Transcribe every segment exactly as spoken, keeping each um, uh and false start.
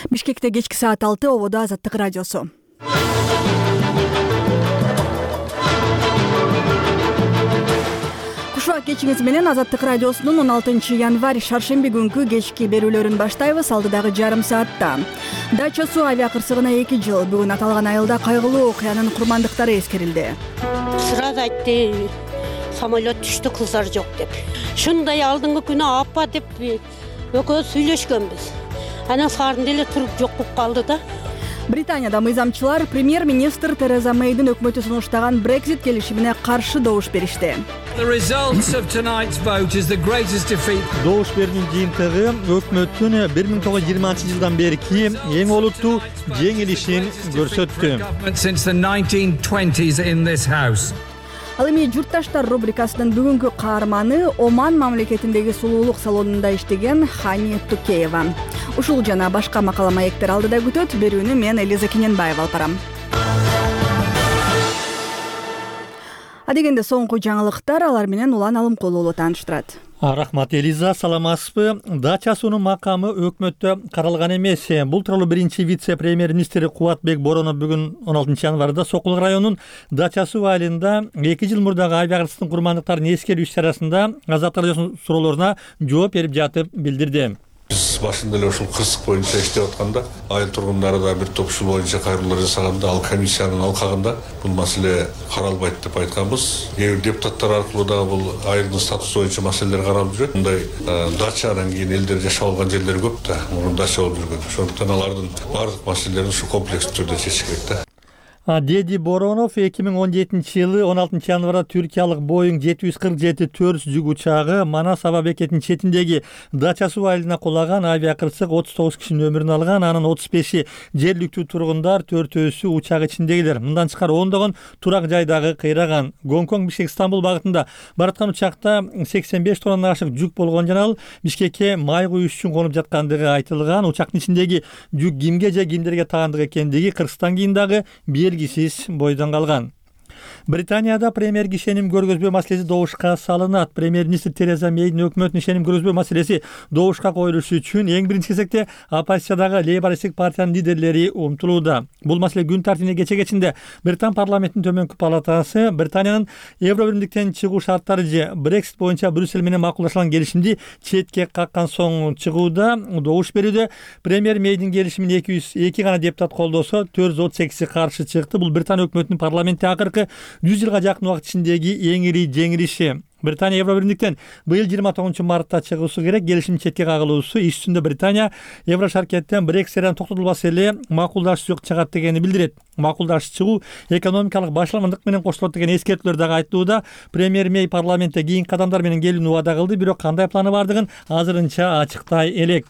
Бишкекте кечки саат алты, ободо Азаттык радиосу. Кушуак кечиңиз менен Азаттык радиосунун он алтынчы январь шаршемби күнкү кечки берүүлөрүн баштайбыз. Алдыдагы жарым саатта Дача суу авиа кырсыгына эки жыл. Бүгүн аталган айылда кайгылуу окуянын курмандыктары эскерилди. Сразу айтты, самолет түштү, кыздар жок деп. Шундай алдыңкы күнү апа деп экөөбүз сүйлөшкөнбүз. Анан саарын деле туруп жок болуп калды да. Британияда мыйзамчылар премьер-министр Тереза Мэйдин өкмөтү сунуштаган Brexit келишимине каршы добуш беришти. Добуш берүүнүн жыйынтыгы өкмөттүн бир миң тогуз жүз жыйырманчы жылдан берки эң олуттуу жеңилишин көрсөттү. Ал эми журтташтар рубрикасынын бүгүнкү каарманы Оман мамлекетиндеги сулуулук салонунда иштеген Хани Тукеева. Ушул жана башка макала маектер алдыда күтөт. Берүүнү мен Элиза Кененбаева алып барам. Адегенде соңку жаңылыктар, алар менен Улан Алымкулуу уулу тааныштырат. Рахмат Элиза, саламатсызбы? Дача суунун макамы өкмөттө каралган эмес. Бул тууралуу биринчи вице-премьер-министр Кубатбек Боронов бүгүн он алтынчы январда Сокулук районунун Дача суу айылында эки жыл мурдагы авиа кырсыктын курмандыктарын эскерүү иш-чарасында Азаттык радиосунун суроолоруна жооп берип жатып билдирди. Биз башында эле ушул кырсык боюнча иштеп атканда, айыл тургундары да бир топ ушул боюнча кайрылуулар жасаганда, ал комиссиянын алкагында бул маселе каралбайт деп айтканбыз. Кээ бир депутаттар аркылуу дагы бул айылдын статусу боюнча маселелер каралып жүрөт. Мындай дача анан кийин элдер жашап алган жерлер көп да, мурун дача болуп жүргөн. Ошондуктан алардын баардык маселелерин ушу комплекстүү түрдө чечиш керек да. Деди Боронов эки миң он жетинчи жылы он алтынчы январда түркиялык Boeing жети жүз кырк жети төрт жүк учагы Манас аба бекетинин четиндеги Дача суу айылына кулаган, авиа кырсык отуз тогуз кишинин өмүрүн алган, анын отуз беши жергиликтүү тургундар, төртөөсү учак ичиндегилер. Мындан тышкары ондогон турак жайдагы кыйраган. Гонконг Бишкек Стамбул багытында бараткан учакта сексен беш тоннадан ашык жүк болгон жана ал Бишкекке май куюш үчүн конуп жаткандыгы айтылган. Учактын ичиндеги жүк кимге же кимдерге тагандык экендиги Кыргызстан кийин дагы белгисиз бойдон калган. Британияда премьер ишеним көргөзбөө маселеси добушка салынат. Премьер-министр Тереза Мэйдин өкмөтүнүн ишеним көргөзбөө маселеси добушка коюлушу үчүн эң биринчи кезекте оппозициядагы лейбористтик партиянын лидерлери умтулууда. Бул маселе күн тартибине кече кечинде Британ парламентинин төмөнкү палатасы Британиянын Евробиримдиктен чыгуу шарттары же Brexit боюнча Брюссель менен макулдашылган келишимди четке каккан соң чыгууда добуш берүүдө. Премьер Мэйдин келишимин эки жүз эки гана депутат колдосо, төрт жүз отуз сегизи каршы чыкты. Бул Британ өкмөтүнүн парламентте акыркы жүз жылга жакын убакыт ичиндеги эң ири жеңилиши. Британия Евробиримдиктен быйыл жыйырма тогузунчу мартта чыгуусу керек. Келишим четке кагылуусу иш үстүндө Британия Евро шаркеттен Брекситтен токтотулбаса эле макулдашуу жок чыгат дегени билдирет. Макулдашып чыгуу экономикалык башаламандык менен коштолот деген эскертүүлөр дагы айтылууда. Премьер Мэй парламентте кийинки кадамдар менен келүүнү убада кылды, бирок кандай планы бардыгын азырынча ачыктай элек.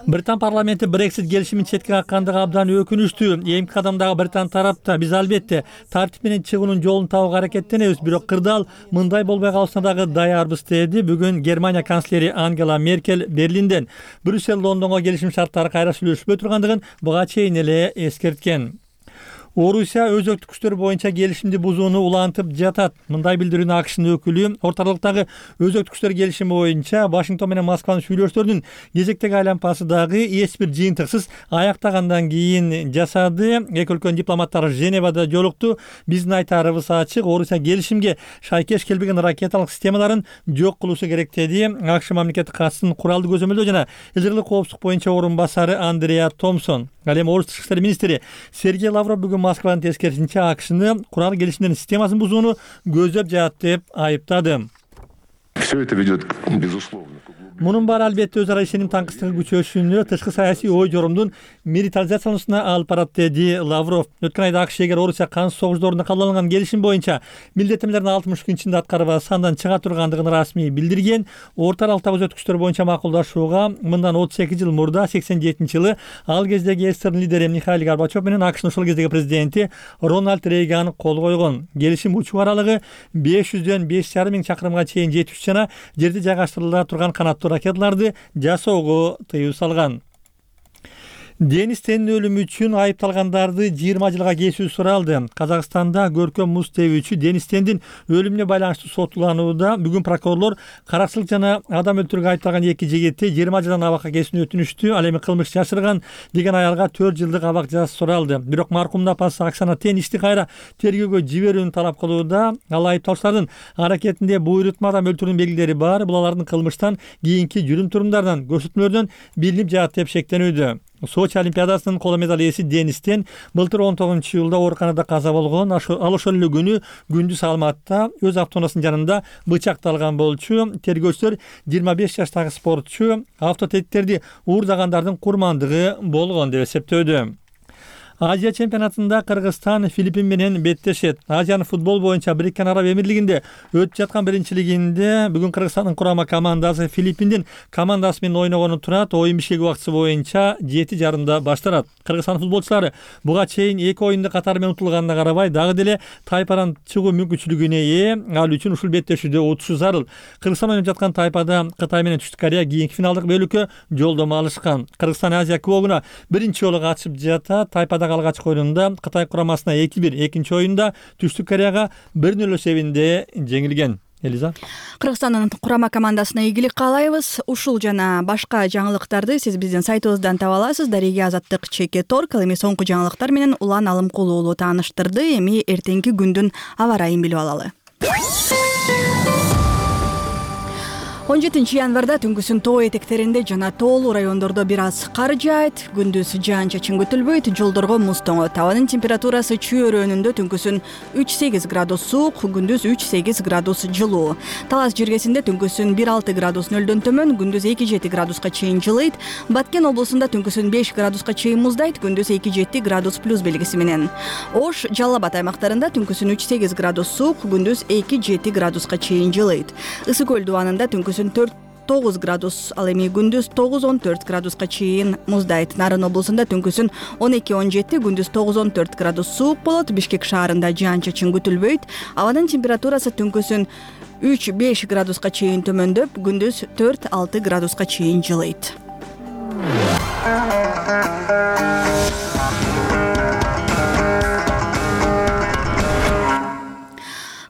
Британ парламенти Brexit келишимин четке каккандыгы абдан өкүнүчтүү. Эми кадамдагы Британ тарапта биз албетте тартип менен чыгуунун жолун табууга аракеттенебиз, бирок кырдаал мындай болбой калышына дагы даярбыз, деди бүгүн Германия канцлери Ангела Меркель Берлинден. Брюссель Лондонго келишим шарттары кайра сүйлөшпөй тургандыгын буга чейин эле эскерткен. Орусия өзөктүк күчтөр боюнча келишимди бузууну улантып жатат. Мындай билдирүүнү АКШнын өкүлү орталыктагы өзөктүк күчтөр келишими боюнча Вашингтон менен Москванын сүйлөшүүлөрүнүн кезектеги айланпасы дагы эч бир жыйынтыксыз аяктагандан кийин жасады. Эки өлкөнүн дипломаттары Женевада жолукту. Биздин айтарыбыз ачык, Орусия келишимге шайкеш келбеген ракеталык системаларын жок кылуусу керек, деди АКШ мамлекеттик катчысынын куралды көзөмөлдөө жана элдерлик коопсуздук боюнча орун басары Андреа Томпсон. Ал эми Орус тышкы иштер министри Сергей Лавров бүгүн Москванын тескерисинче АКШны курал келишимдердин системасын бузууну көздөп жатат деп айыптады. Все это ведет, безусловно. Мунун баары албетте өз ара ишеним таңкыстыгы күчөшүнө, тышкы саясий ой жорумдун милитаризациялануусуна алып барат, деди Лавров. Өткөн айда АКШ эгер Орусия кансыз согуш кабыл алынган келишим боюнча милдеттенмелердин алтымыш күн ичинде аткарбай сандан чыга тургандыгын расмий билдирген. Орто аралыктагы өзөктүк күчтөр боюнча макулдашууга мындан отуз эки жыл мурда сексен жетинчи жылы ал кездеги СССРдин лидери Михаил Горбачев менен АКШнын ошол кездеги президенти Рональд Рейган кол койгон. Келишим учуу аралыгы беш жүздөн беш жарым миң чакырымга чейин жетиш жана жерде жайгаштырыла турган канаттуу ракеталарды жасоого тыюу салган. Денис Тендин өлүмү үчүн айыпталгандарды жыйырма жылга кесүү суралды. Казакстанда көркөм муз тебүүчү Денис Тендин өлүмүнө байланыштуу соттолууда бүгүн прокурорлор каракчылык жана адам өлтүрүүгө айыпталган эки жигитти жыйырма жылдан абакка кесүүнү өтүнүштү. Ал эми кылмыш жашырган деген аялга төрт жылдык абак жазасы суралды. Бирок маркумдун апасы Оксана Тен ишти кайра тергөөгө жиберүүнү талап кылууда. Ал айыпталуучулардын аракетинде буйрутма адам өлтүрүүнүн белгилери бар. Бул алардын кылмыштан кийинки жүрүм турумдарынан, көрсөтмөлөрдөн билинип жаат деп шектенүүдө. Сочи олимпиадасынын коло медаль ээси Денис Тен былтыр он тогузунчу июлда ооруканада каза болгон. Ал ошол эле күнү күндүз Алматта өз автоунаасынын жанында бычакталган болчу. Тергөөчүлөр жыйырма беш жаштагы спортчу автотектерди уурдагандардын курмандыгы болгон деп эсептөөдө. Азия чемпионатында Кыргызстан Филиппин менен беттешет. Азиянын футбол боюнча Бириккен Араб Эмирлигинде өтүп жаткан биринчилигинде бүгүн Кыргызстандын курама командасы Филиппиндин командасы менен ойногону турат. Оюн бишкек убактысы боюнча жети жарымда башталат. Кыргызстан футболчулары буга чейин эки оюнду катары менен утулганына карабай дагы деле тайпадан чыгуу мүмкүнчүлүгүнө ээ. Ал үчүн ушул беттешүүдө утушу зарыл. Кыргызстан ойноп жаткан тайпада Кытай менен Түштүк Корея кийинки финалдык бөлүккө жолдомо алышкан. Кыргызстан Азия кубогуна биринчи жолу катышып жатат. Тайпада алгачкы оюнунда Кытай курамасына эки бир, экинчи оюнда Түштүк Кореяга бир нөл эсебинде жеңилген. Элиза. Кыргызстандын курама командасына ийгилик каалайбыз. Ушул жана башка жаңылыктарды сиз биздин сайтыбыздан таба аласыз. Дареге Азаттык чеке торг. Ал эми соңку жаңылыктар менен Улан Алымкулуу уулу тааныштырды. Эми эртеңки күндүн аба ырайын билип алалы. он жетинчи январда түнкүсүн тоо этектеринде жана тоолуу райондордо бир аз кар жаайт. Күндүз жаан-чачын күтүлбөйт. Жолдорго муз тоңот. Абанын температурасы чөйрөнүндө түнкүсүн үч сегиз градус суук, күндүз үч сегиз градус жылуу. Талас жиргесинде түнкүсүн бир алты градус нөлдөн төмөн, күндүз эки жети градуска чейин жылыйт. Баткен облусунда түнкүсүн беш градуска чейин муздайт, күндүз эки жети градус плюс белгиси менен. Ош, Жалал Абад аймактарында түнкүсүн үч сегиз градус суук, күндүз эки жети градуска чейин жылыйт. Ысык көл дубанында түнкүсүн төрт тогуз градус, ал эми күндүз тогуз он төрт градуска чейин муздайт. Нарын облусунда түнкүсүн он эки он жети, күндүз тогуз он төрт градус суук болот. Бишкек шаарында жаан-чачын күтүлбөйт. Абанын температурасы түнкүсүн үч беш градуска чейин төмөндөп, күндүз төрт алты градуска чейин жылыйт.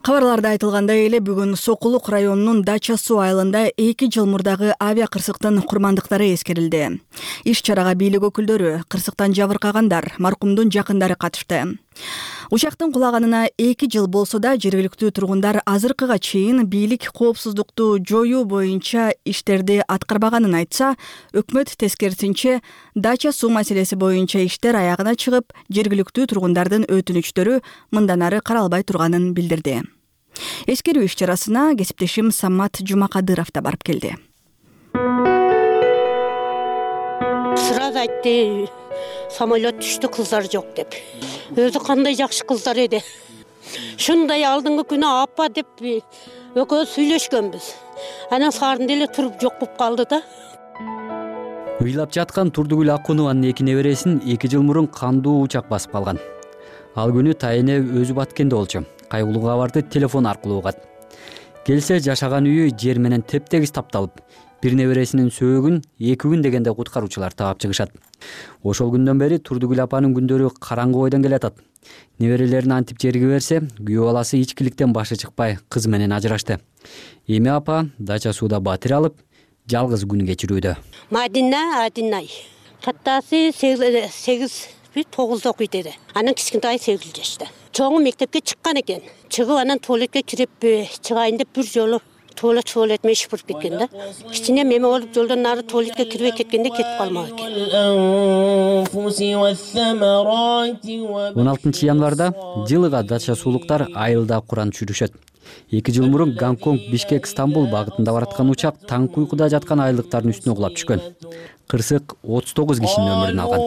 Кабарларда айтылгандай эле бүгүн Сокулук районунун Дача суу айылында эки жыл мурдагы авиа кырсыктын курмандыктары эскерилди. Иш чарага бийлик өкүлдөрү, кырсыктан жабыркагандар, маркумдун жакындары катышты. Учактын кулаганына эки жыл болсо да жергиликтүү тургундар азыркыга чейин бийлик коопсуздукту жоюу боюнча иштерди аткарбаганын айтса, өкмөт тескерисинче Дача суу маселеси боюнча иштер аягына чыгып, жергиликтүү тургундардын өтүнүчтөрү мындан ары каралбай турганын билдирди. Эскерүү иш чарасына кесиптешим Самат Жумакадыров да барып келди. Сразу айтты, самолет түштү, кыздар жок деп. Өзү кандай жакшы кыздар эди. Шундай алдыңкы күнү апа деп экөөбүз сүйлөшкөнбүз. Анан сарын деле туруп жок болуп калды да. Ыйлап жаткан Турдугүл Акунованын эки небересин эки жыл мурун кандуу учак басып калган. Ал күнү тайыне өзү Баткенде болчу. Кайгылуу кабарды телефон аркылуу угат. Келсе жашаган үйү жер менен тептегиз тапталып, бир небересинин сөөгүн эки күн дегенде куткаруучулар таап чыгышат. Ошол күндөн бери Турдугүл апанын күндөрү караңгы бойдон келатат. Неберелерин антип жерге берсе, күйөө баласы ичкиликтен башы чыкпай кыз менен ажырашты. Эми апа Дача сууда батир алып, жалгыз күн кечирүүдө. Мадина Адинай. Каттасы сегиз тогузда окуйт эди. Анан кичинтайы сегиз жашта. Чоңу мектепке чыккан экен. Чыгып анан туалетке кирип чыгайын деп бир жолу туалет туалет меш буруп кеткен да. Кичине меме болуп жолдон нары туалетке кирбей кеткенде кетип калмак экен. он алтынчы январда жылыга Дача суулуктар айылда Куран чүрүшөт. эки жыл мурун Гонконг, Бишкек, Стамбул багытында бараткан учак таңкы уйкуда жаткан айылдыктардын үстүнө кулап түшкөн. Кырсык отуз тогуз кишинин өмүрүн алган.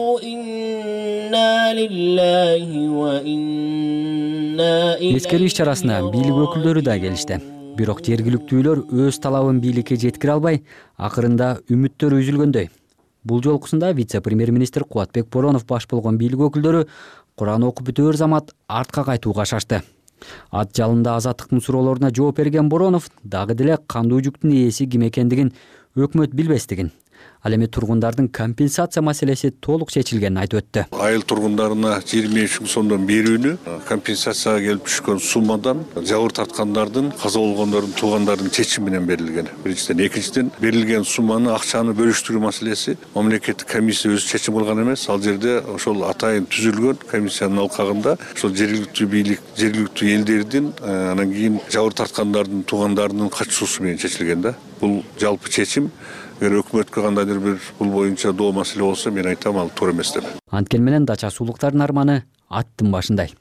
Эскерүү иш чарасына бийлик өкүлдөрү да келишти. Бирок жергиликтүүлөр өз талабын бийликке жеткире албай, акырында үмүттөрү үзүлгөндөй. Бул жолкусунда вице-премьер-министр Кубатбек Боронов баш болгон бийлик өкүлдөрү Куран окуп бүтөөр замат артка кайтууга шашты. Ат жалында Азаттыктын суроолоруна жооп берген Боронов дагы деле кандуу жүктүн ээси ким экендигин өкмөт билбестигин, Ал эми тургундардын компенсация маселеси толук чечилгенин айтып өттү. Айыл тургундарына жыйырма беш миң сомдон берүүнү компенсацияга келип түшкөн суммадан жабыр тарткандардын, каза болгондордун туугандардын чечими менен берилген. Биринчиден, экинчиден берилген сумманы акчаны бөлүштүрүү маселеси мамлекеттик комиссия өзү чечим кылган эмес. Ал жерде ошол атайын түзүлгөн комиссиянын алкагында ошол жергиликтүү бийлик, жергиликтүү элдердин, анан кийин жабыр тарткандардын туугандарынын катышуусу менен чечилген да. Бул жалпы чечим. Эгер өкмөткө кандайдыр бир бул боюнча доо маселе болсо, мен айтам, ал туура эмес деп. Анткени менен дача суулуктардын арманы аттын башындай.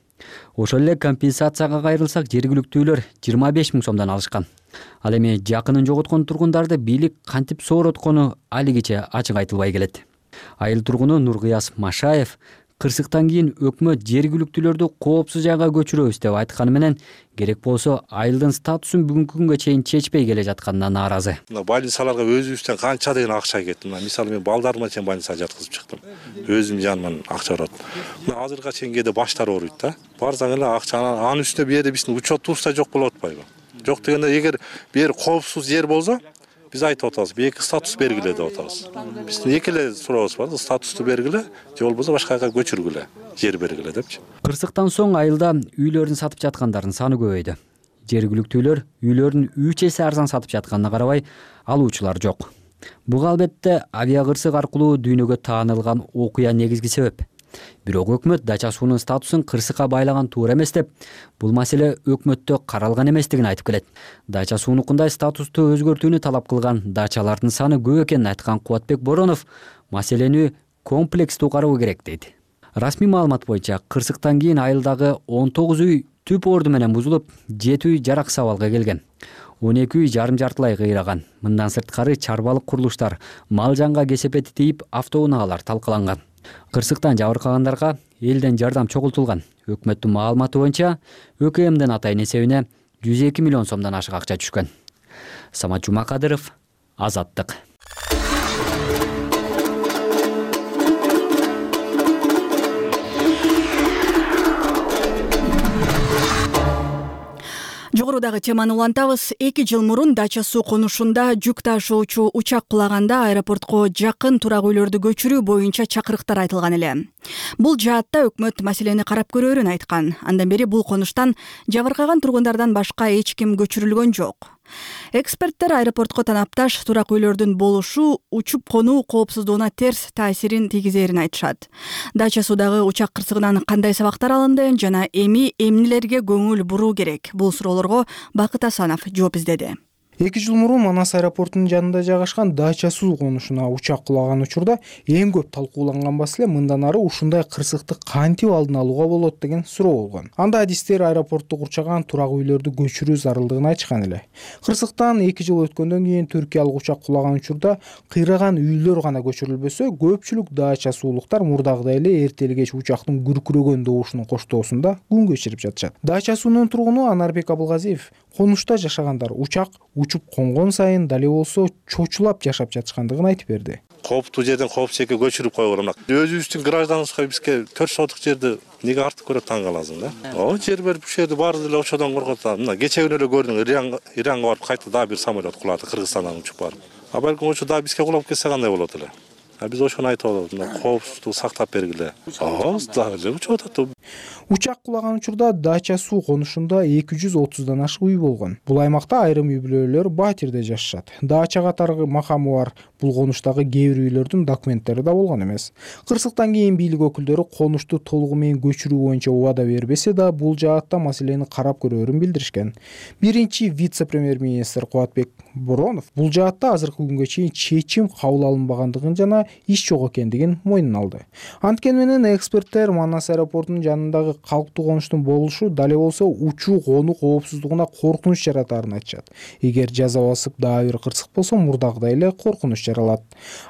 Ошол эле компенсацияга кайрылсак, жергиликтүүлөр жыйырма беш миң сомдон алышкан. Ал эми жакынын жоготкон тургундарды бийлик кантип соороткону алигиче ачык айтылбай келет. Айыл тургуну Нургыяз Машаев кырсыктан кийин өкмөт жергиликтүүлөрдү коопсуз жайга көчүрөбүз деп айтканы менен, керек болсо айылдын статусун бүгүнкү күнгө чейин чечпей келе жатканына нааразы. Мына больницаларга өзүбүздөн канча деген акча кетти. Мисалы мен балдарыма чейин больницага жаткызып чыктым. Өзүм жаныман акча барат. Мына азыркыга чейин кээде баштар ооруйт да. Барсаң эле акчаны анын үстүнө бу жерде биздин учетубузда жок болуп атпайбы? Жок дегенде, эгер бу жер коопсуз жер болсо, биз айтып атабыз, эки статус бергиле деп атабыз. Биздин эки эле сурообуз бар, статусту бергиле, же болбосо башка жака көчүргүлө, жер бергиле депчи. Кырсыктан соң айылда үйлөрүн сатып жаткандардын саны көбөйдү. Жергиликтүүлөр үйлөрүн үч эсе арзан сатып жатканына карабай, алуучулар жок. Буга албетте авиакырсык аркылуу дүйнөгө таанылган окуя негизги себеп. Бирок өкмөт дача суунун статусун кырсыкка байлаган туура эмес деп, бул маселе өкмөттө каралган эместигин айтып келет. Дача суунукундай статусту өзгөртүүнү талап кылган дачалардын саны көп экенин айткан Кубатбек Боронов маселени комплекстүү кароо керек дейт. Расмий маалымат боюнча кырсыктан кийин айылдагы он тогуз үй түп орду менен бузулуп, жети үй жараксыз абалга келген. он эки үй жарым-жартылай кыйраган. Мындан сырткары чарбалык курулуштар, мал жанга кесепети тийип, автоунаагылар талкаланган. Кырсыктан жабыркагандарга элден жардам чогултулган. Өкмөттүн маалыматы боюнча ӨКМдин атайын эсебине жүз эки миллион сомдон ашык акча түшкөн. Самат Жумакадыров, Азаттык. Жогорудагы теманы улантабыз. эки жыл мурун Дача суу конушунда жүк ташуучу учак кулаганда аэропортко жакын турак үйлөрдү көчүрүү боюнча чакырыктар айтылган эле. Бул жаатта өкмөт маселени карап көрөөрүн айткан. Андан бери бул конуштан жабыркаган тургундардан башка эч ким көчүрүлгөн жок. Эксперттер аэропортко танапташ турак үйлөрдүн болушу учуп конуу коопсуздугуна терс таасирин тийгизерин айтышат. Дача суудагы учак кырсыгынан кандай сабактар алынды жана эми эмнелерге көңүл буруу керек? Бул суроолорго Бакыт Асанов жооп издеди. эки жыл мурун Манас аэропортунун жанында жайгашкан Дача суу конушуна учак кулаган учурда эң көп талкууланган маселе мындан ары ушундай кырсыкты кантип алдын алууга болот деген суроо болгон. Анда адистер аэропортту курчаган турак үйлөрдү көчүрүү зарылдыгын айтышкан эле. Кырсыктан эки жыл өткөндөн кийин түркиялык учак кулаган учурда кыйраган үйлөр гана көчүрүлбөсө, көпчүлүк дача суулуктар мурдагыдай эле эртели кеч учактын күркүрөгөн добушунун коштоосунда күн кечирип жатышат. Дача суунун тургуну Анарбек Абылгазиев конушта жашагандар учак учуп конгон сайын дале болсо чочулап жашап жатышкандыгын айтып берди. Кооптуу жерден коопсузга көчүрүп койгон. Өзүбүздүн гражданыбызга бизге төрт соток жерди неге артып көрөт таң каласың да. О, жер берип ушул жерди баары деле ошодон коркот. Мына кече күнү эле көрдүң, Иранга Иранга барып кайта дагы бир самолет кулады, Кыргызстандан учуп барып. А балким ошо дагы бизге кулап кетсе кандай болот эле? А биз ошону айтып атабыз, мына коопсуздукту сактап бергиле. Ага, дагы учуп атат. Учак кулаган учурда Дача суу конушунда эки жүз отуздан ашык үй болгон. Бул аймакта айрым үй бүлөлөр батирде жашашат. Дача катары макамы бар бул конуштагы кээ бир үйлөрдүн документтери да болгон эмес. Кырсыктан кийин бийлик өкүлдөрү конушту толугу менен көчүрүү боюнча убада бербесе да, бул жаатта маселени карап көрөөрүн билдиришкен. Биринчи вице-премьер-министр Кубатбек Боронов бул жаатта азыркы күнгө чейин чечим кабыл алынбагандыгын жана иш жок экендигин мойнуна алды. Анткени менен эксперттер Манас аэропортунун жанындагы калктуу конуштун болушу дале болсо учуу конуу коопсуздугуна коркунуч жаратарын айтышат. Эгер жаза басып дагы бир кырсык болсо, мурдагыдай эле коркунуч жаралат.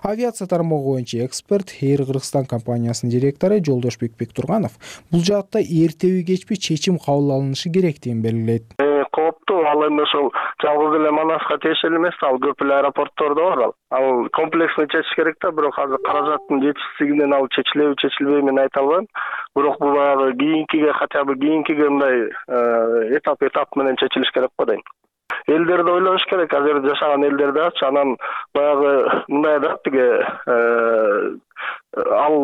Авиация тармагы боюнча эксперт Эйр Кыргызстан компаниясынын директору Жолдошбек Бектурганов бул жаатта эртеби кечпи чечим кабыл алынышы керектигин белгилейт. Кооптуу, ал эми ошол жалгыз эле Манаска тиешелүү эмес, ал көп эле аэропорттордо бар ал. Ал комплексно чечиш керек да, бирок азыр каражаттын жетишсиздигинен ал чечилеби, чечилбейби мен айта албайм. Бирок бул баягы кийинкиге, хотя бы кийинкиге мындай этап этап менен чечилиш керек го дейм. элдерди ойлош керек, ал жерде жашаган элдерди ачы. Анан баягы мындай да тиги ал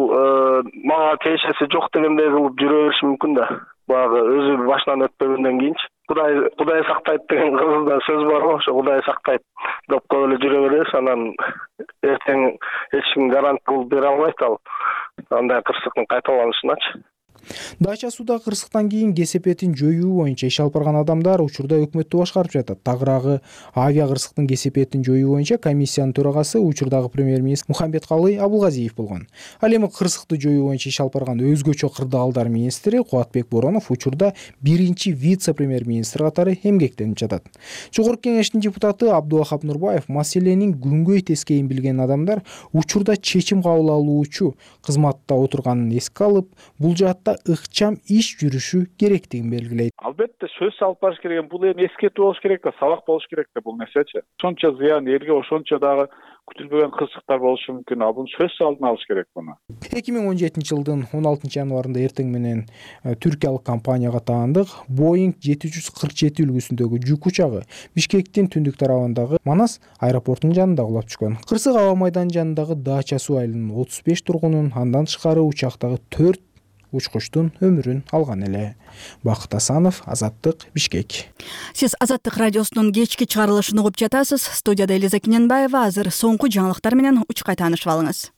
мага тиешеси жок дегендей кылып жүрө бериши мүмкүн да. Баягы өзү башынан өтпөгөндөн кийинчи Кудай Кудай сактайт деген кыргызда сөз бар го, ошо Кудай сактайт деп коюп эле жүрө беребиз. Анан эртең эч ким гарант кылып бере албайт ал андай кырсыктын кайталанышыначы. Дача сууда кырсыктан кийин кесепетин жоюу боюнча иш алып барган адамдар учурда өкмөттү башкарып жатат. Тагыраагы авиа кырсыктын кесепетин жоюу боюнча комиссиянын төрагасы учурдагы премьер-министр Мухамбеткалый Абылгазиев болгон. Ал эми кырсыкты жоюу боюнча иш алып барган өзгөчө кырдаалдар министри Кубатбек Боронов учурда биринчи вице-премьер-министр катары эмгектенип жатат. Жогорку кеңештин депутаты Абдувахап Нурбаев маселенин күнгөй тескейин билген адамдар учурда чечим кабыл алуучу кызматта отурганын эске алып, бул жаатта ыкчам иш жүрүшү керектигин белгилейт. Албетте сөз алып барыш керек, бул эми эскертүү болуш керек да, сабак болуш керек да бул нерсечи. Ошончо зыян элге, ошончо дагы күтүлбөгөн кырсыктар болушу мүмкүн. А бул сөз алдын алыш керек буну. эки миң он жетинчи жылдын он алтынчы январында эртең менен түркиялык компанияга таандык Boeing жети жүз кырк жети үлгүсүндөгү жүк учагы Бишкектин түндүк тарабындагы Манас аэропортунун жанында кулап түшкөн. Кырсык аба майданынын жанындагы Дача суу айылынын отуз беш тургунун, андан тышкары учактагы төрт учкучтун өмүрүн алган эле. Бакыт Асанов, Азаттык, Бишкек. Сиз Азаттык радиосунун кечки чыгарылышын угуп жатасыз. Студияда Элиза Кененбаева. Азыр соңку жаңылыктар менен учкай таанышып алыңыз.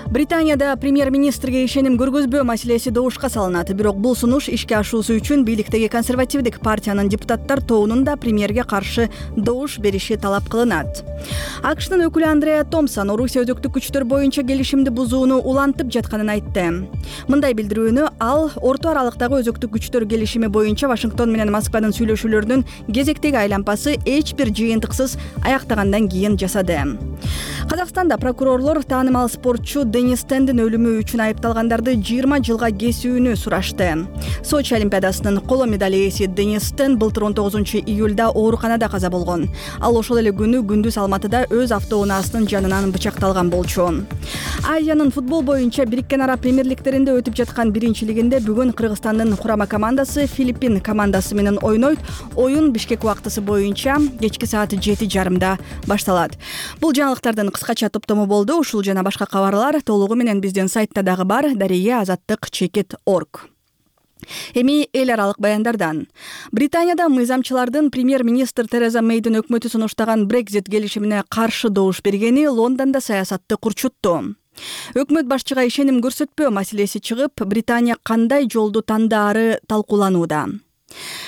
Британияда премьер-министрге ишеним көргөзбөө маселеси добушка салынат. Бирок бул сунуш ишке ашуусу үчүн бийликтеги консервативдик партиянын депутаттар тобунун да премьерге каршы добуш бериши талап кылынат. АКШнын өкүлү Андреа Томпсон Орусия өзөктүк күчтөр боюнча келишимди бузууну улантып жатканын айтты. Мындай билдирүүнү ал орто аралыктагы өзөктүк күчтөр келишими боюнча Вашингтон менен Москванын сүйлөшүүлөрүнүн кезектеги айланпасы эч бир жыйынтыксыз аяктагандан кийин жасады. Казакстанда прокурорлор таанымал спортчу Денис Тендин өлүмү үчүн айыпталгандарды жыйырма жылга кесүүнү сурашты. Сочи олимпиадасынын коло медаль ээси Денис Тен былтыр он тогузунчу июлда ооруканада каза болгон. Ал ошол эле күнү күндүз Алматыда өз автоунаасынын жанынан бычакталган болчу. Азиянын футбол боюнча Бириккен Араб Премьер-лигдеринде өтүп жаткан биринчилигинде бүгүн Кыргызстандын курама командасы Филиппин командасы менен ойнойт. Оюн Бишкек убактысы боюнча кечки саат жети жарымда башталат. Бул жаңылыктардын кыскача топтому болду. Ушул жана башка кабарлар толугу менен биздин сайтта дагы бар. Дария азаттык чекит орг. Эми эл аралык баяндардан. Британияда мыйзамчылардын премьер-министр Тереза Мейдин өкмөтү сунуштаган Брекзит келишимине каршы добуш бергени Лондондо саясатты курчутту. Өкмөт башчыга ишеним көрсөтпөө маселеси чыгып, Британия кандай жолду тандаары талкууланууда.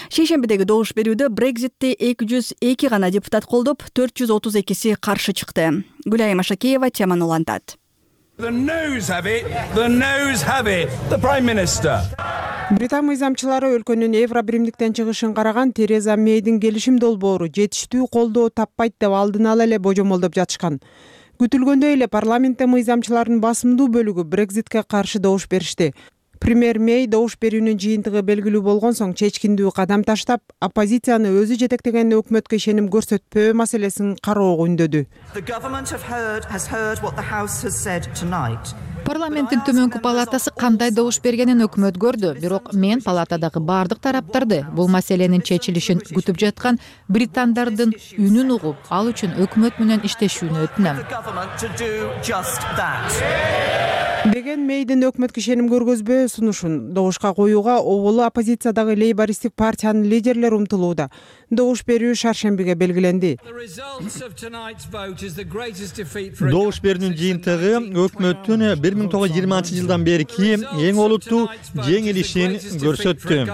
Шейшембидеги добуш берүүдө Брекзитти эки жүз эки гана депутат колдоп, төрт жүз отуз экиси каршы чыкты. Гүлайым Ашакеева теманы улантат. Британ мыйзамчылары өлкөнүн Евробиримдиктен чыгышын караган Тереза Мейдин келишим долбоору жетиштүү колдоо таппайт деп алдын ала эле божомолдоп жатышкан. Күтүлгөндөй эле парламентте мыйзамчылардын басымдуу бөлүгү Брекзитке каршы добуш беришти. Премьер Мей добуш берүүнүн жыйынтыгы белгилүү болгон соң чечкиндүү кадам таштап, оппозицияны өзү жетектеген өкмөткө ишеним көрсөтпөө маселесин кароого үндөдү. Парламенттин төмөнкү палатасы кандай добуш бергенин өкмөт көрдү, бирок мен палатадагы бардык тараптарды бул маселенин чечилишин күтүп жаткан британдардын үнүн угуп, ал үчүн өкмөт менен иштешүүнү өтүнөм. Деген Мейдин өкмөткө ишеним көргөзбөө сунушун добушка коюуга оболу оппозициядагы лейбористтик партиянын лидерлери умтулууда. Добуш берүү шаршембиге белгиленди. Добуш берүүнүн жыйынтыгы өкмөттүн бир миң тогуз жүз жыйырманчы жылдан берки эң олуттуу жеңилишин көрсөттү.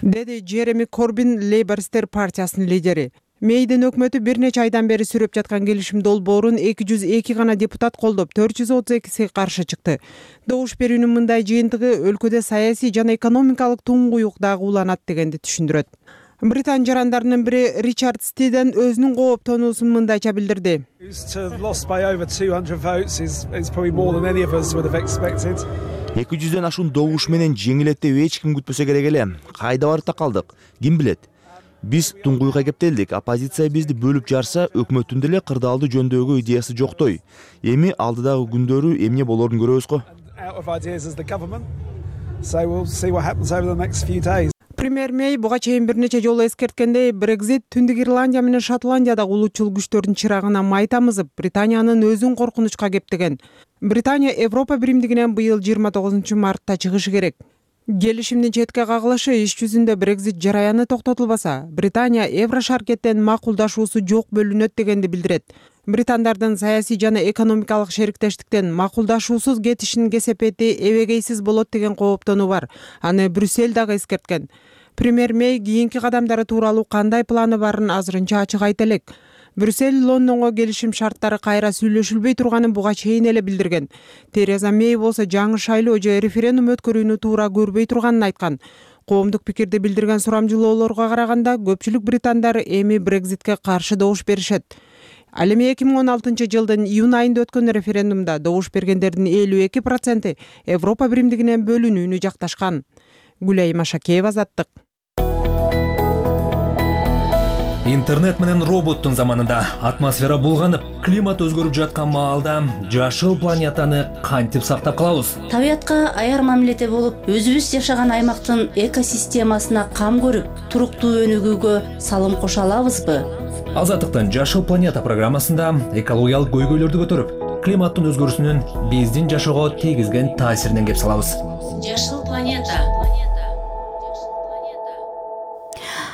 Деди Джереми Корбин, лейбористтер партиясынын лидери. Мейдин өкмөтү бир нече айдан бери сүрөп жаткан келишим долбоорун эки жүз эки гана депутат колдоп, төрт жүз отуз экиси каршы чыкты. Добуш берүүнүн мындай жыйынтыгы өлкөдө саясий жана экономикалык туңгуюк дагы уланат дегенди түшүндүрөт. Британ жарандарынын бири Ричард Стиден өзүнүн кооптонуусун мындайча билдирди. эки жүздөн ашуун добуш менен жеңилет деп эч ким күтпөсө керек эле. Кайда барып такалдык? Ким билет? Биз туңгуйга кептелдик. Оппозиция бизди бөлүп жарса, өкмөттүн деле кырдаалды жөндөөгө идеясы жоктой. Эми алдыдагы күндөрү эмне болорун көрөбүз го. So we'll see what happens over the next few days. Премьер Мэй буга чейин бир нече жолу эскерткендей, Брекзит Түндүк Ирландия менен Шотландиядагы улутчул күчтөрдүн чырагына май тамызып, Британиянын өзүн коркунучка кептеген. Британия Европа биримдигинен быйыл жыйырма тогузунчу мартта чыгышы керек. Келишимдин четке кагылышы иш жүзүндө Брекзит жараяны токтотулбаса, Британия Евро шаркеттен макулдашуусу жок бөлүнөт дегенди билдирет. Британдардын саясий жана экономикалык шериктештиктен макулдашуусуз кетишинин кесепети эбегейсиз болот деген кооптонуу бар. Аны Брюссель дагы эскерткен. Премьер Мэй кийинки кадамдары тууралуу кандай планы барын азырынча ачык айта элек. Брюссель Лондонго келишим шарттары кайра сүйлөшүлбөй турганын буга чейин эле билдирген. Тереза Мэй болсо жаңы шайлоо же референдум өткөрүүнү туура көрбөй турганын айткан. Коомдук пикирди билдирген сурамжылоолорго караганда көпчүлүк британдар эми Брекзитке каршы добуш беришет. Ал эми эки миң он алтынчы жылдын июнь айында өткөн референдумда добуш бергендердин элүү эки проценти Европа биримдигинен бөлүнүүнү жакташкан. Гүлайым Ашакеева, Азаттык. Интернет менен роботтун заманында атмосфера булганып, климат өзгөрүп жаткан маалда жашыл планетаны кантип сактап калабыз? Табиятка аяр мамиледе болуп, өзүбүз жашаган аймактын экосистемасына кам көрүп, туруктуу өнүгүүгө салым кошо алабызбы? Азаттыктын Жашыл планета программасында экологиялык көйгөйлөрдү көтөрүп, климаттын өзгөрүүсүнүн биздин жашоого тийгизген таасиринен кеп салабыз. Жашыл планета.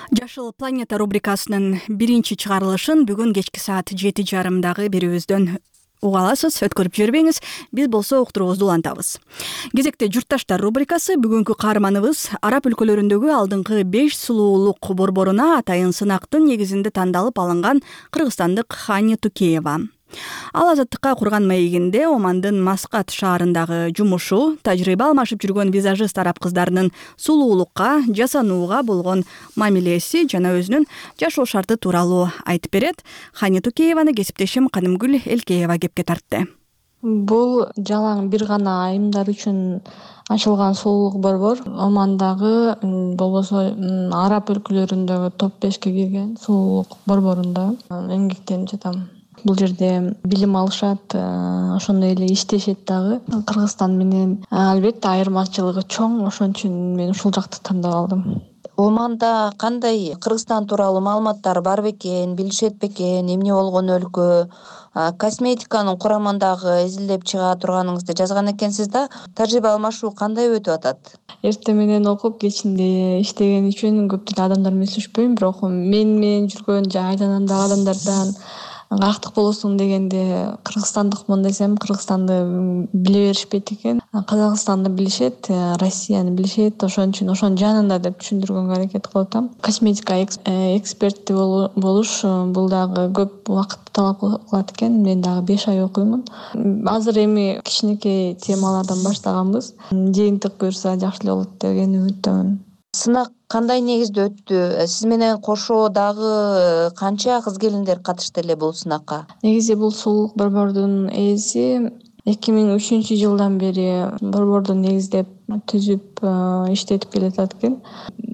Жашыл планета рубрикасынын биринчи чыгарылышын бүгүн кечки саат жети жарымдагы берүүбүздөн уга аласыз. Өткөрүп жибербеңиз, биз болсо уктуруубузду улантабыз. Кезекте журтташтар рубрикасы бүгүнкү каарманыбыз араб өлкөлөрүндөгү алдыңкы беш сулуулук борборуна атайын сынактын негизинде тандалып алынган кыргызстандык Хани Тукеева. Ал Азаттыкка курган маегинде Омандын Маскат шаарындагы жумушу, тажрыйба алмашып жүргөн визажист араб кыздарынын сулуулукка, жасанууга болгон мамилеси жана өзүнүн жашоо шарты тууралуу айтып берет. Хани Тукееваны кесиптешим Канымгүл Элкеева кепке тартты. Бул жалаң бир гана айымдар үчүн ачылган сулуулук борбор. Омандагы болбосо араб өлкөлөрүндөгү топ бешке кирген сулуулук борборунда эмгектенип жатам. Бул жерде билим алышат, ошондой эле иштешет дагы. Кыргызстан менен албетте айырмачылыгы чоң, ошон үчүн мен ушул жакты тандап алдым. Оманда кандай Кыргызстан тууралуу маалыматтар бар бекен, билишет бекен, эмне болгон өлкө, косметиканын курамындагы изилдеп чыга турганыңызды жазган экенсиз да. Тажрыйба алмашуу кандай өтүп атат? Эртең менен окуп, кечинде иштеген үчүн көптөгөн адамдар менен сүйлөшпөйм, бирок мен менен жүргөн же айланамдагы адамдардан кактык болосуң дегенде кыргызстандыкмын десем, Кыргызстанды биле беришпейт экен. Казакстанды билишет, Россияны билишет, ошон үчүн ошонун жанында деп түшүндүргөнгө аракет кылып атам. Косметика эксперти болуш бул дагы көп убакытты талап кылат экен. Мен дагы беш ай окуймун. Азыр эми кичинекей темалардан баштаганбыз. Жыйынтык буюрса жакшы эле болот деген үмүттөмүн. Сынак кандай негизде өттү? Сиз менен кошо дагы канча кыз келиндер катышты эле бул сынакка? Негизи бул сулуулук борбордун ээси эки миң үчүнчү жылдан бери борборду негиздеп түзүп иштетип келатат экен.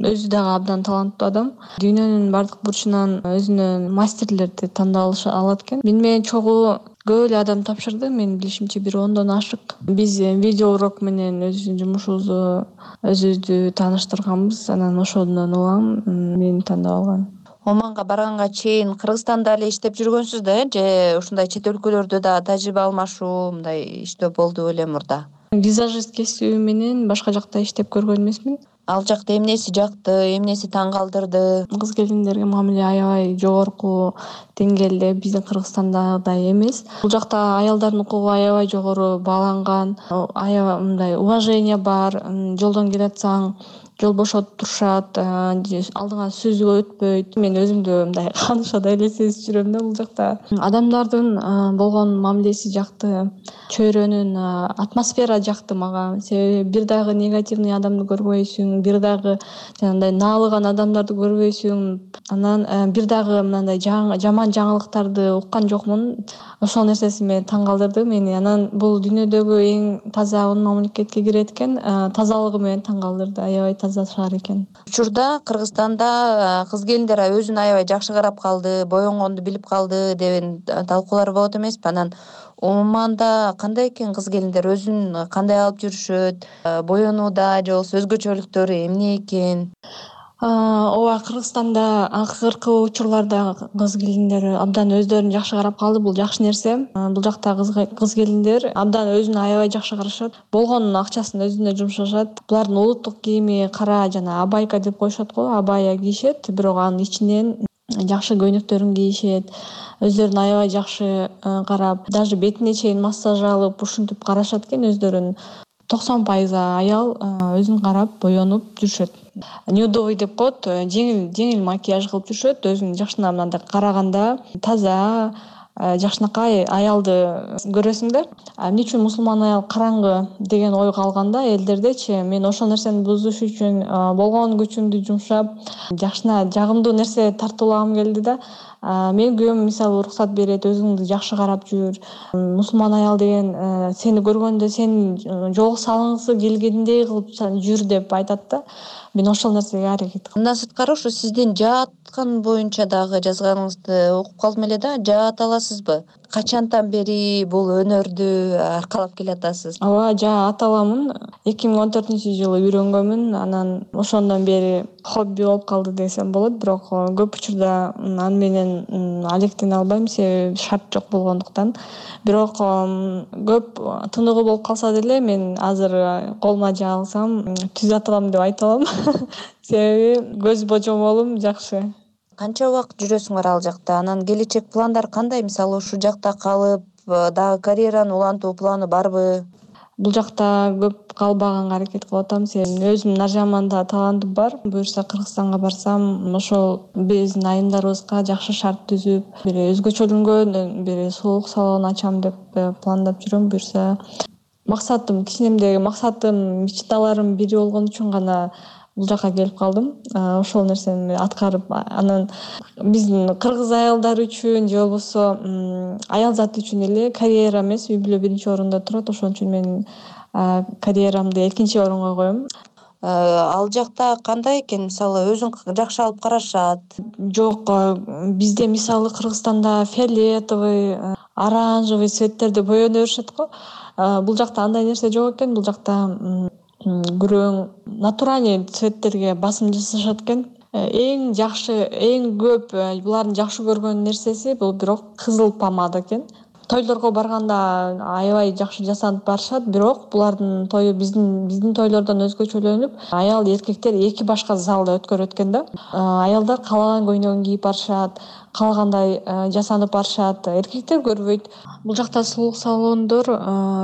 Өзү дагы абдан таланттуу адам. Дүйнөнүн бардык бурчунан өзүнө мастерлерди тандап алат экен. Мен менен чогуу көп эле адам тапшырды. Менин билишимче бир ондон ашык. Биз видео урок менен өзүбүздүн жумушубузду өзүбүздү тааныштырганбыз. Анан ошондон улам мени тандап алган. Оманга барганга чейин Кыргызстанда эле иштеп жүргөнсүз да, же ушундай чет өлкөлөрдө да тажрыйба алмашуу, мындай иштөө болду беле мурда? Визажист кесиби менен башка жакта иштеп көргөн эмесмин. Ал жакта эмнеси жакты, эмнеси таң калтырды? Кыз келиндерге мамиле аябай жогорку деңгээлде, биздин Кыргызстандагыдай эмес. Бул жакта аялдардын укугу аябай жогору бааланган, аябай мындай уважение бар. Жолдон келатсаң жол бошотуп турушат, алдыңа сүзүп өтпөйт. Мен өзүмдү мындай канышадай эле сезип жүрөм да бул жакта. Адамдардын болгон мамилеси жакты, чөйрөнүн атмосфера жакты мага. Себеби бир дагы негативный адамды көрбөйсүң, бир дагы жанагындай наалыган адамдарды көрбөйсүң. Анан бир дагы мындай жаман жаңылыктарды уккан жокмун. Ошол нерсеси мени таң калтырды мени. Анан бул дүйнөдөгү эң таза он мамлекетке кирет экен. Тазалыгы менен таң калтырды. Аябай таза шаар экен. Учурда Кыргызстанда кыз келиндер өзүн аябай жакшы карап калды, боенгонду билип калды деген талкуулар болот эмеспи? Анан Оманда кандай экен кыз келиндер, өзүн кандай алып жүрүшөт, боенууда же болбосо өзгөчөлүктөрү эмне экен? Ооба, Кыргызстанда акыркы учурларда кыз келиндер абдан өздөрүн жакшы карап калды. Бул жакшы нерсе. Бул жакта кыз келиндер абдан өзүнө аябай жакшы карашат. Болгон акчасын өзүнө жумшашат. Булардын улуттук кийими кара жана абайка деп коюшат го, абая кийишет, бирок анын ичинен жакшы көйнөктөрүн кийишет. Өздөрүн аябай жакшы карап, даже бетине чейин массаж алып, ушинтип карашат экен өздөрүн. токсон пайыз аял өзүн карап, боенуп жүрүшөт. Нюдовый деп коет, жеңил жеңил макияж кылып жүрүшөт. Өзүн жакшына мындай караганда таза, жакшынакай аялды көрөсүң да. Эмне үчүн мусулман аял караңгы деген ой калганда элдердечи, мен ошол нерсени бузуш үчүн болгон күчүмдү жумшап, жакшына жагымдуу нерсе тартуулагым келди да. Мен күйөөм мисалы уруксат берет, өзүңдү жакшы карап жүр. Мусулман аял деген сени көргөндө сени жол салгысы келгендей кылып жүр деп айтат да. Мен ошол нерсеге аракет кылам. Мындан сырткары ушу сиздин жааткан боюнча дагы жазганыңызды окуп калдым эле да. Жаат аласызбы? Качантан бери бул өнөрдү аркалап келатасыз? Ооба, жаат аламын. эки миң он төртүнчү жылы үйрөнгөнмүн. Анан ошондон бери хобби болуп калды десем болот. Бирок көп учурда аны менен алектене албайм, себеби шарт жок болгондуктан. Бирок көп тыныгы болуп калса деле мен азыр колума жаа алсам түзөт алам деп айта алам. Себеби көз божомолум жакшы. Канча убакыт жүрөсүңөр ал жакта? Анан келечек пландар кандай? Мисалы ушул жакта калып, дагы карьераны улантуу планы барбы? Бул жакта көп калбаганга аракет кылып атам. Себеби өзүмдүн Наржаманда талантым бар. Буюрса Кыргызстанга барсам, ошол биздин айымдарыбызга жакшы шарт түзүп, бири өзгөчөлөнгөн, бири сулуулук салон ачам деп пландап жүрөм. Буюрса максатым, кичинемдеги максатым, мечталарым бири болгон үчүн гана бул жака келип калдым. Ошол нерсени аткарып, анан биздин кыргыз аялдары үчүн же болбосо аял заты үчүн эле карьера эмес, үй бүлө биринчи орунда турат. Ошон үчүн мен карьерамды экинчи орунга коем. Ал жакта кандай экен? Мисалы өзүн жакшы алып карашат? Жок, бизде мисалы Кыргызстанда фиолетовый, оранжевый цветтерди боено беришет го. Бул жакта андай нерсе жок экен. Бул жакта күрөң, натуральный цветтерге басым жасашат экен. Эң жакшы, эң көп булардын жакшы көргөн нерсеси бул бирок кызыл помада экен. Тойлорго барганда аябай жакшы жасанып барышат, бирок булардын тою биздин биздин тойлордон өзгөчөлөнүп, аял эркектер эки башка залда өткөрөт экен да. Аялдар каалаган көйнөгүн кийип барышат, каалагандай жасанып барышат. Эркектер көрбөйт. Бул жакта сулуулук салондор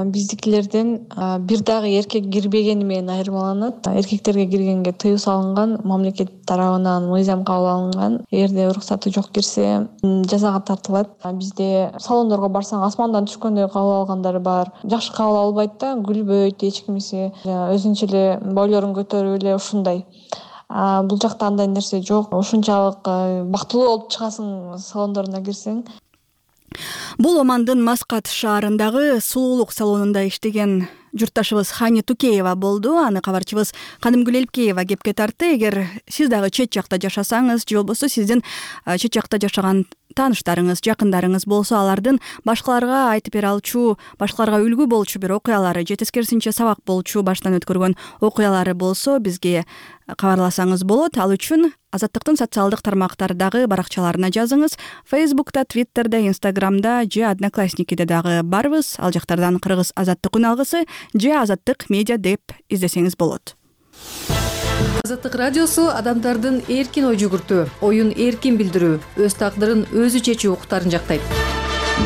биздикилерден бир дагы эркек кирбегени менен айырмаланат. Эркектерге киргенге тыюу салынган, мамлекет тарабынан мыйзам кабыл алынган. Эгерде уруксаты жок кирсе, жазага тартылат. Бизде салондорго барсаң асмандан түшкөндөй кабыл алгандары бар. Жакшы кабыл албайт да, күлбөйт, эч кимиси өзүнчө эле бойлорун көтөрүп эле ушундай. Бул жакта андай нерсе жок. Ушунчалык бактылуу болуп чыгасың салондоруна кирсең. Бул Омандын Маскат шаарындагы сулуулук салонунда иштеген журтташыбыз Хани Тукеева болду. Аны кабарчыбыз Кадымгүл Элкеева кепке тартты. Эгер сиз дагы чет жакта жашасаңыз, же болбосо сиздин чет жакта жашаган тааныштарыңыз, жакындарыңыз болсо, алардын башкаларга айтып бере алчу, башкаларга үлгү болчу бир окуялары, же тескерисинче сабак болчу баштан өткөргөн окуялары болсо, бизге кабарласаңыз болот. Ал үчүн Азаттыктын социалдык тармактардагы баракчаларына жазыңыз. Facebook'та, Twitter'да, Instagram'да же Одноклассникиде дагы барбыз. Ал жактардан Кыргыз Азаттык үн алгысы же Азаттык медиа деп издесеңиз болот. Азаттык радиосу адамдардын эркин ой жүгүртүү, оюн эркин билдирүү, өз тагдырын өзү чечүү укуктарын жактайт.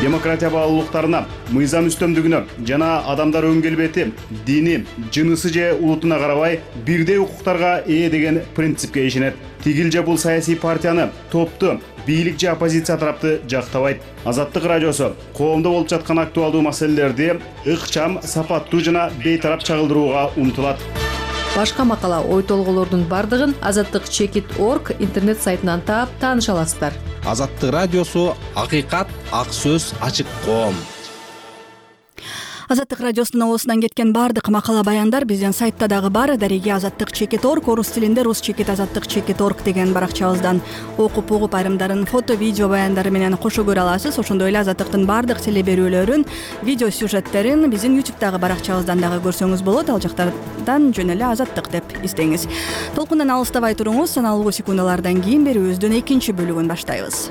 Демократия баалуулуктарына, мыйзам үстөмдүгүнө жана адамдар өн келбети, дини, жынысы же улутуна карабай бирдей укуктарга ээ деген принципке ишенет. Тигил же бул саясий партияны, топту, бийлик же оппозиция тарапты жактабайт. Азаттык радиосу коомдо болуп жаткан актуалдуу маселелерди ыкчам, сапаттуу жана бейтарап чагылдырууга умтулат. Башка макала, ой толгоолордун бардыгын азаттык чекит точка орг интернет сайтынан таап тааныша аласыздар. Азаттык радиосу акыйкат, ак сөз, ачык коом. Азаттык радиосунун оосунан кеткен баардык макала баяндар биздин сайтта дагы бар. Дареги азаттык чекит орг, орус тилинде рус чекит азаттык чекит орг деген баракчабыздан окуп угуп айрымдарын фото, видео баяндары менен кошо көрө аласыз. Ошондой эле азаттыктын баардык теле берүүлөрүн, видео сюжеттерин биздин ютубтагы баракчабыздан дагы көрсөңүз болот. Ал жактардан жөн эле азаттык деп издеңиз. Толкундан алыстабай туруңуз. Саналуу секундалардан кийин берүүбүздүн экинчи бөлүгүн баштайбыз.